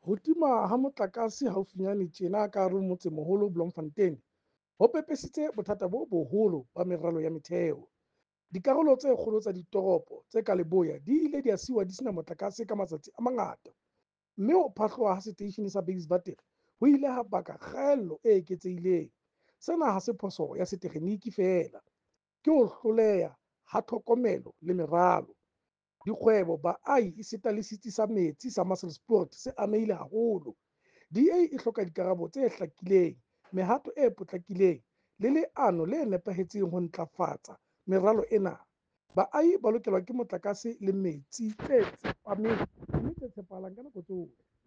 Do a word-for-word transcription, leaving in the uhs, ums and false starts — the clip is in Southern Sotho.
Ho tima ha motlakase haufinyane tjena ka hare ho motsemoholo Bloemfontein ho pepesitse bothata bo boholo ba meralo ya metheo. Dikarolo tse kgolo tsa ditoropo tse ka leboya di ile dia siuwa di sena motlakase ka matsatsi a mangata, mme ho phahloha ha seteishene sa Buikswater ho ile ha baka kgaello e eketsehileng. Sena ha se phoso ya setekgeniki feela, ke ho hloleha ha tlhokomelo le meralo. Dikgwebo, baahi esita le setsi sa metsi sa Maselspoort se amehile haholo. D A e hloka dikarabo tse hlakileng, mehato e potlakileng le leano le nepahetseng ho ntlafatsa meralo ena. Baahi ba lokelwa ke motlakase le metsi tse tsepameng mme tse tshepahalang ka nako tsohle.